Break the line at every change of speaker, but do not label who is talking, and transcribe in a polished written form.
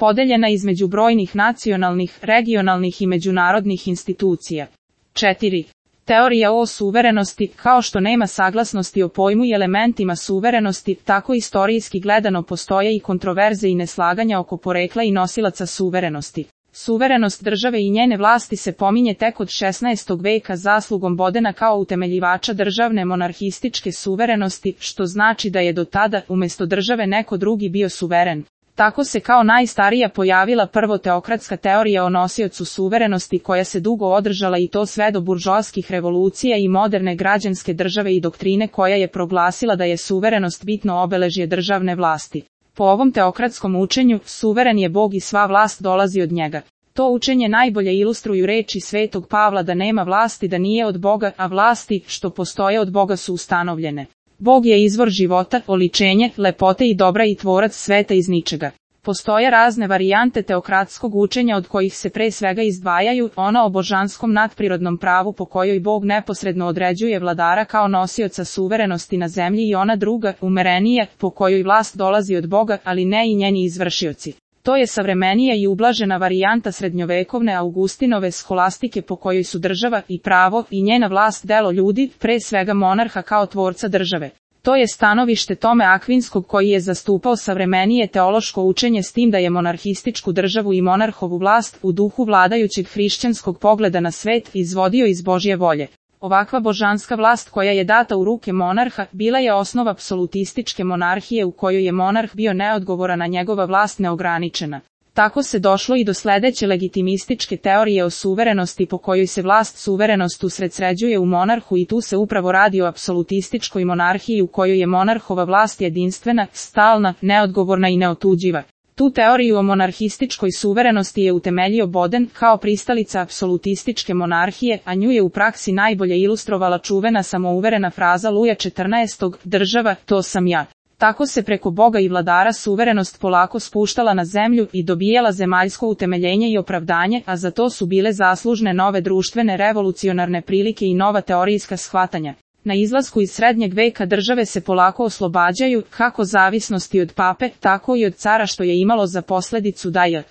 podeljena između brojnih nacionalnih, regionalnih i međunarodnih institucija. 4. Teorija o suverenosti. Kao što nema saglasnosti o pojmu i elementima suverenosti, tako istorijski gledano postoje i kontroverze i neslaganja oko porekla i nosilaca suverenosti. Suverenost države i njene vlasti se pominje tek od 16. veka zaslugom Bodena kao utemeljivača državne monarhističke suverenosti, što znači da je do tada, umjesto države, neko drugi bio suveren. Tako se kao najstarija pojavila prvo teokratska teorija o nosiocu suverenosti koja se dugo održala i to sve do buržoaskih revolucija i moderne građanske države i doktrine koja je proglasila da je suverenost bitno obeležje državne vlasti. Po ovom teokratskom učenju, suveren je Bog i sva vlast dolazi od njega. To učenje najbolje ilustruju reči Svetog Pavla da nema vlasti da nije od Boga, a vlasti što postoje od Boga su ustanovljene. Bog je izvor života, oličenje, lepote i dobra i tvorac sveta iz ničega. Postoje razne varijante teokratskog učenja od kojih se pre svega izdvajaju ono o božanskom nadprirodnom pravu po kojoj Bog neposredno određuje vladara kao nosioca suverenosti na zemlji i ona druga, umerenija, po kojoj vlast dolazi od Boga, ali ne i njeni izvršioci. To je savremenija i ublažena varijanta srednjovekovne Augustinove skolastike po kojoj su država i pravo i njena vlast delo ljudi, pre svega monarha kao tvorca države. To je stanovište Tome Akvinskog koji je zastupao savremenije teološko učenje s tim da je monarhističku državu i monarhovu vlast u duhu vladajućeg hrišćanskog pogleda na svet izvodio iz Božje volje. Ovakva božanska vlast koja je data u ruke monarha bila je osnova apsolutističke monarhije u kojoj je monarh bio neodgovoran, a njegova vlast neograničena. Tako se došlo i do sledeće legitimističke teorije o suverenosti po kojoj se vlast suverenost usredsređuje u monarhu i tu se upravo radi o apsolutističkoj monarhiji u kojoj je monarhova vlast jedinstvena, stalna, neodgovorna i neotuđiva. Tu teoriju o monarhističkoj suverenosti je utemeljio Boden kao pristalica apsolutističke monarhije, a nju je u praksi najbolje ilustrovala čuvena samouverena fraza Luja XIV, država, to sam ja. Tako se preko Boga i vladara suverenost polako spuštala na zemlju i dobijala zemaljsko utemeljenje i opravdanje, a za to su bile zaslužne nove društvene revolucionarne prilike i nova teorijska shvatanja. Na izlasku iz srednjeg veka države se polako oslobađaju, kako zavisnosti od pape, tako i od cara što je imalo za posledicu da je